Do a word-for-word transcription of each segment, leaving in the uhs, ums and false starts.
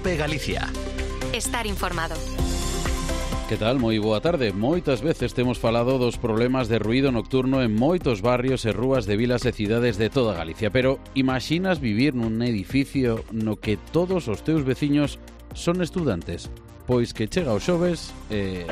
COPE Galicia. Estar informado. Que tal? Moi boa tarde. Moitas veces temos falado dos problemas de ruído nocturno en moitos barrios e rúas de vilas e cidades de toda Galicia. Pero imaxinas vivir nun edificio no que todos os teus veciños son estudantes? Pois que chega o xoves e...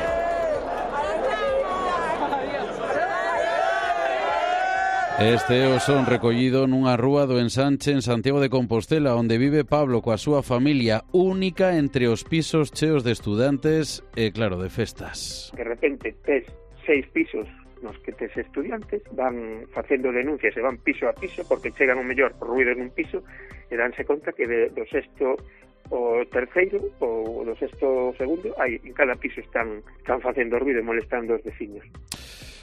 Este é o son recollido nunha rúa do Ensanche en Santiago de Compostela, onde vive Pablo coa súa familia, única entre os pisos cheos de estudantes e, claro, de festas. De repente tes seis pisos nos que tes estudiantes, van facendo denuncias e van piso a piso porque chegan o mellor por ruido nun piso e danse conta que de, do sexto o terceiro ou do sexto segundo hai, en cada piso están, están facendo ruido e molestando os veciños.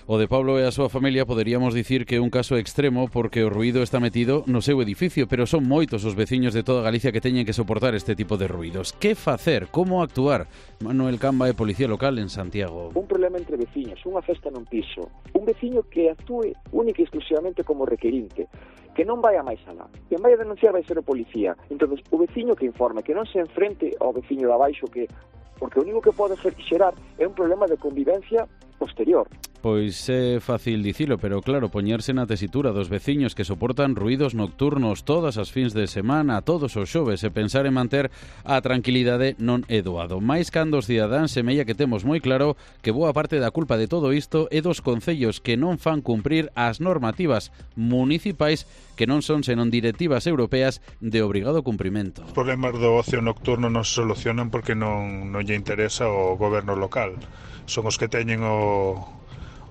O de Pablo e a súa familia poderíamos dicir que é un caso extremo porque o ruído está metido no seu edificio, pero son moitos os veciños de toda Galicia que teñen que soportar este tipo de ruidos. Que facer? Como actuar? Manuel Camba é policía local en Santiago. Un problema entre veciños, unha festa nun piso, un veciño que actúe única e exclusivamente como requerinte, que non vai a máis alá. Quen vai a denunciar vai ser o policía. Entón, o veciño que informe, que non se enfrente ao veciño de abaixo, que porque o único que pode xerar é un problema de convivencia posterior. Pois é fácil dicilo, pero claro, poñerse na tesitura dos veciños que soportan ruídos nocturnos todas as fins de semana, todos os xoves, e pensar en manter a tranquilidade non é doado. Mais cando os cidadáns semella que temos moi claro que boa parte da culpa de todo isto é dos concellos que non fan cumprir as normativas municipais que non son senón directivas europeas de obrigado cumprimento. Os problemas do ocio nocturno non se solucionan porque non, non lle interesa o goberno local. Son os que teñen o...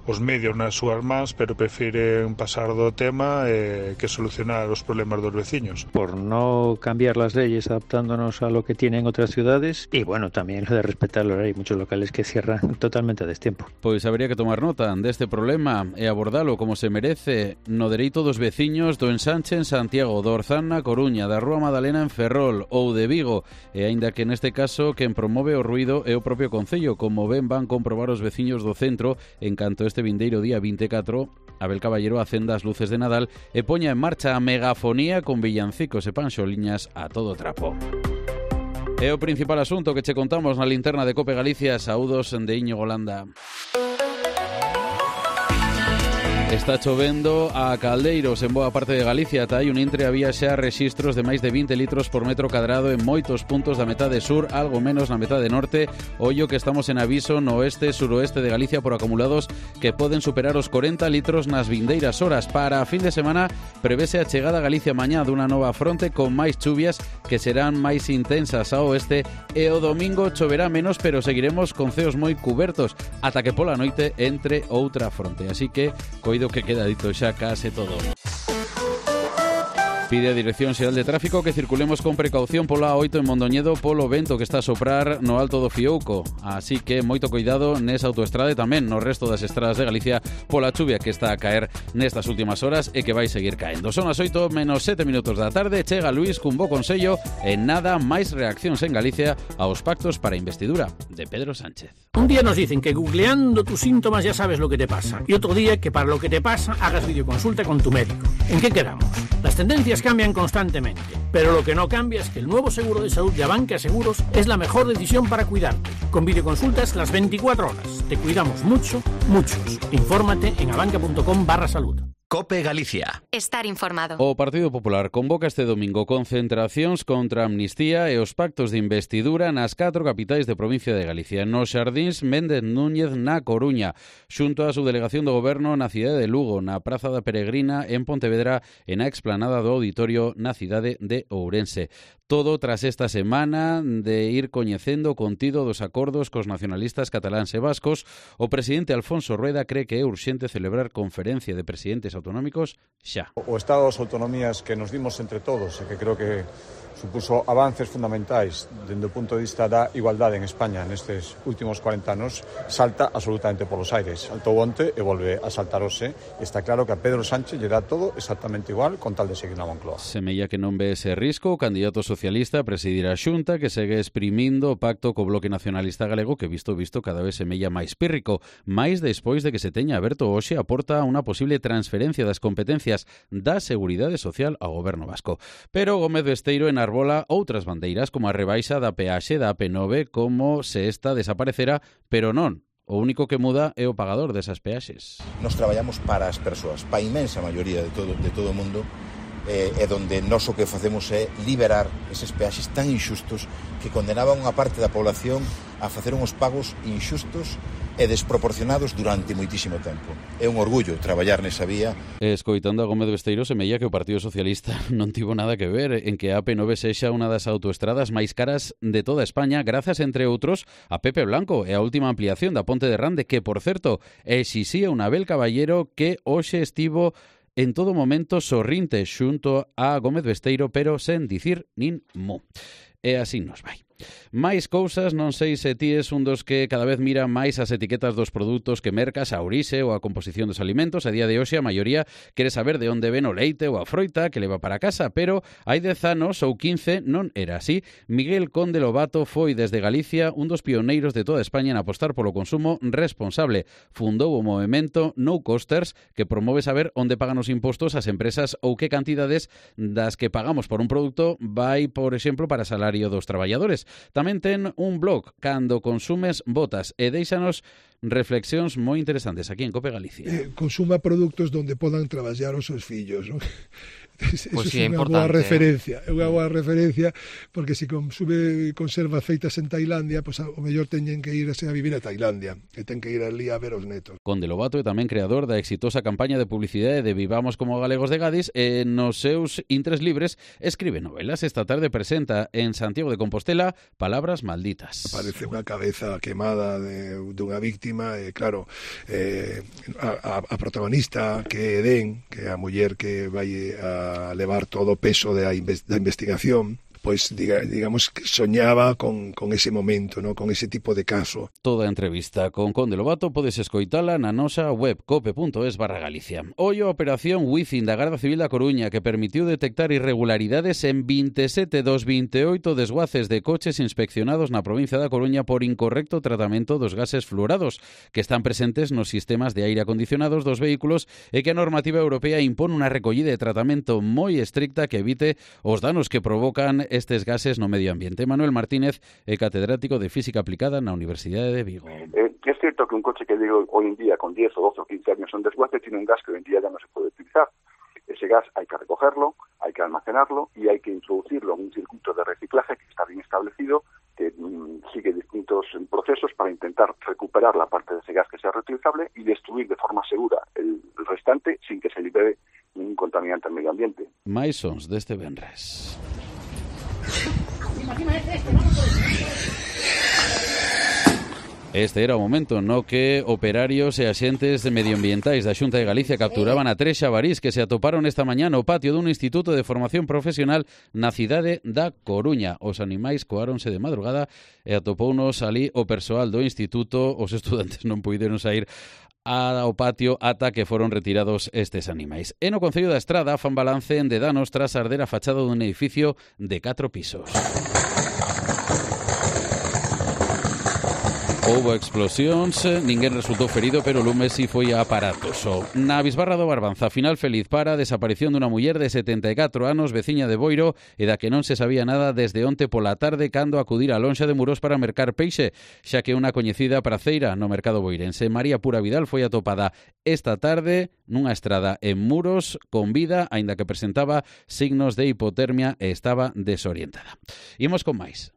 os medios nas súas mans, pero prefieren pasar do tema eh, que solucionar os problemas dos veciños. Por no cambiar las leyes adaptándonos a lo que tienen otras ciudades y bueno, también lo de respetar la ley. Hay muchos locales que cierran totalmente a destiempo. Pois habría que tomar nota deste problema e abordalo como se merece no dereito dos veciños do Ensanche en Santiago, do Orzán na Coruña, da Rúa Madalena en Ferrol ou de Vigo, e aínda que neste caso quen promove o ruído é o propio concello, como ben van comprobar os veciños do centro en canto este vindeiro día vinte e catro, Abel Caballero acenda as luces de Nadal e poña en marcha a megafonía con villancicos e panxoliñas a todo trapo. É o principal asunto que che contamos na linterna de Cope Galicia. Saúdos de Íñigo Landa. Está chovendo a caldeiros en boa parte de Galicia. Ata hai un intre había xa rexistros de máis de vinte litros por metro cadrado en moitos puntos da metade sur, algo menos na metade norte. Ollo que estamos en aviso no oeste e suroeste de Galicia por acumulados que poden superar os corenta litros nas vindeiras horas. Para a fin de semana prevese a chegada a Galicia mañá dunha nova fronte con máis chuvias que serán máis intensas ao oeste, e o domingo choverá menos, pero seguiremos con ceos moi cubertos ata que pola noite entre outra fronte. Así que coido que queda dito xa case todo. Pide a Dirección Xeral de Tráfico que circulemos con precaución pola A oito en Mondoñedo polo vento que está a soprar no alto do Fiouco. Así que moito coidado nesa autoestrada e tamén no resto das estradas de Galicia pola chuvia que está a caer nestas últimas horas e que vai seguir caendo. Son as oito menos sete minutos da tarde. Chega Luís cun bo consello e nada máis reaccións en Galicia aos pactos para a investidura de Pedro Sánchez. Un día nos dicen que googleando tus síntomas ya sabes lo que te pasa, y otro día que para lo que te pasa hagas videoconsulta con tu médico. ¿En qué quedamos? Las tendencias cambian constantemente, pero lo que no cambia es que el nuevo seguro de salud de Abanca Seguros es la mejor decisión para cuidarte. Con videoconsultas las veinticuatro horas. Te cuidamos mucho, muchos. Infórmate en abanca.com barra salud. COPE Galicia. Estar informado. O Partido Popular convoca este domingo concentracións contra a amnistía e os pactos de investidura nas catro capitais de provincia de Galicia. Nos Xardíns Méndez Núñez na Coruña, xunto á subdelegación do Goberno na cidade de Lugo, na Praza da Peregrina en Pontevedra e na explanada do Auditorio na cidade de Ourense. Todo tras esta semana de ir coñecendo o contido dos acordos cos nacionalistas cataláns e vascos. O presidente Alfonso Rueda cree que é urxente celebrar conferencia de presidentes autonómicos xa. O estado das autonomías que nos dimos entre todos e que creo que supuso avances fundamentais dende o punto de vista da igualdade en España nestes últimos cuarenta anos, salta absolutamente polos aires. Saltou onte e volve a saltar hoxe. Está claro que a Pedro Sánchez lle dá todo exactamente igual con tal de seguir na Moncloa. Semella que non ve ese risco o candidato socialista a presidir a Xunta, que segue exprimindo o pacto co Bloque Nacionalista Galego, que visto visto cada vez semella máis pírrico, máis despois de que se teña aberto hoxe a porta a unha posible transferencia das competencias da Seguridade Social ao Goberno vasco. Pero Gómez Besteiro en enarbola outras bandeiras, como a rebaixa da peaxe da A P nove, como se esta desaparecera, pero non. O único que muda é o pagador desas peaxes. Nos traballamos para as persoas, para a inmensa maioría de todo, de todo o mundo, eh, e donde nós o que facemos é liberar eses peaxes tan inxustos que condenaban unha parte da población a facer uns pagos inxustos e desproporcionados durante moitísimo tempo. É un orgullo traballar nesa vía. Escoitando a Gómez Besteiro, semella que o Partido Socialista non tivo nada que ver en que a A P nove sexa unha das autoestradas máis caras de toda España, grazas, entre outros, a Pepe Blanco e a última ampliación da Ponte de Rande, que, por certo, exixía un Abel Caballero que hoxe estivo en todo momento sorrinte xunto a Gómez Besteiro, pero sen dicir nin mu. E así nos vai. Máis cousas, non sei se ti es un dos que cada vez mira máis as etiquetas dos produtos que mercas, a orixe ou a composición dos alimentos. A día de hoxe a maioría quere saber de onde ven o leite ou a froita que leva para casa, pero hai dez anos ou quince non era así. Miguel Conde Lobato foi desde Galicia un dos pioneiros de toda España en apostar polo consumo responsable. Fundou o movemento No Costers, que promove saber onde pagan os impostos as empresas ou que cantidades das que pagamos por un produto vai, por exemplo, para salario dos traballadores. Tamén ten un blog, Cando Consumes Botas, e deixanos reflexións moi interesantes aquí en Cope Galicia. Eh, consuma produtos donde podan traballar os seus fillos, non? Eso pues sí, é unha boa referencia, é unha boa referencia, porque se consume conservas feitas en Tailandia, pues, o mellor teñen que irse a vivir a Tailandia, e ten que ir ali a ver os netos. Conde Lobato é tamén creador da exitosa campaña de publicidade de Vivamos como Galegos de Gadis, e nos seus intres libres escribe novelas. Esta tarde presenta en Santiago de Compostela Palabras Malditas. Aparece unha cabeza quemada de, dunha víctima, e claro, eh, a, a protagonista, que é Edén, que é a muller que vai a a levar todo o peso da investigación, pois diga, digamos que soñaba con, con ese momento, ¿no? Con ese tipo de caso. Toda a entrevista con Conde Lobato podes escoitala na nosa web cope punto es barra Galicia. Hoy a operación Wizzing da Garda Civil da Coruña, que permitiu detectar irregularidades en vinte e sete dos vinte e oito desguaces de coches inspeccionados na provincia da Coruña por incorrecto tratamento dos gases fluorados, que están presentes nos sistemas de aire acondicionados dos vehículos, e que a normativa europea impón unha recollida e tratamento moi estricta que evite os danos que provocan estes gases no medio ambiente. Manuel Martínez é catedrático de Física Aplicada na Universidade de Vigo. Eh, es cierto que un coche que digo hoy en día con diez o doce o quince años en desguace tiene un gas que hoy en día ya no se puede utilizar. Ese gas hay que recogerlo, hay que almacenarlo y hay que introducirlo en un circuito de reciclaje que está bien establecido, que mmm, sigue distintos procesos para intentar recuperar la parte de ese gas que sea reutilizable y destruir de forma segura el, el restante sin que se libere ningún contaminante al medio ambiente. Mais sons deste venres. Este era o momento no que operarios e axentes medioambientais da Xunta de Galicia capturaban a tres xabarís que se atoparon esta mañá no patio dun instituto de formación profesional na cidade da Coruña. Os animais coáronse de madrugada e atopounos ali o persoal do instituto. Os estudantes non puideron sair ao patio ata que foron retirados estes animais. E no Concello da Estrada fan balance de danos tras arder a fachada dun edificio de catro pisos. Houbo explosións, ninguén resultou ferido, pero o lume si foi aparatoso. Na bisbarra do Barbanza, final feliz para a desaparición dunha muller de setenta e catro anos, veciña de Boiro, e da que non se sabía nada desde onte pola tarde cando acudir á lonxa de Muros para mercar peixe, xa que unha coñecida praceira no mercado boirense, María Pura Vidal, foi atopada esta tarde nunha estrada en Muros con vida, aínda que presentaba signos de hipotermia e estaba desorientada. Imos con máis.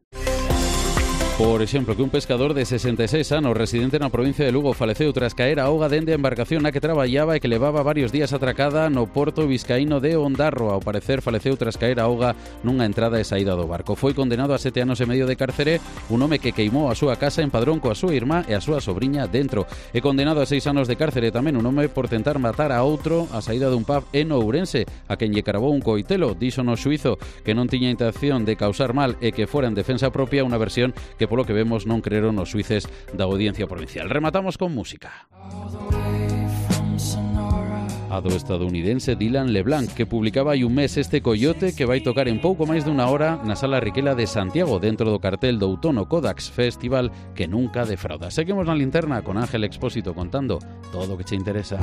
Por exemplo, que un pescador de sesenta e seis anos, residente na provincia de Lugo, faleceu tras caer a auga dende a embarcación na que traballaba e que levaba varios días atracada no porto vizcaíno de Ondarro. Ao parecer, faleceu tras caer a auga nunha entrada e saída do barco. Foi condenado a sete anos e medio de cárcere un home que queimou a súa casa en Padrón coa súa irmá e a súa sobriña dentro. E condenado a seis anos de cárcere tamén un home por tentar matar a outro a saída dun pub en Ourense, a quen lle cravou un coitelo. Dixo no xuízo que non tiña intención de causar mal e que fora en defensa propia, unha versión que que polo que vemos non creeron os xuíces da Audiencia Provincial. Rematamos con música. A do estadounidense Dylan LeBlanc, que publicaba hai un mes este Coyote, que vai tocar en pouco máis dunha hora na Sala Riquela de Santiago, dentro do cartel do outono Kodax Festival que nunca defrauda. Seguimos na linterna con Ángel Expósito contando todo o que che interesa.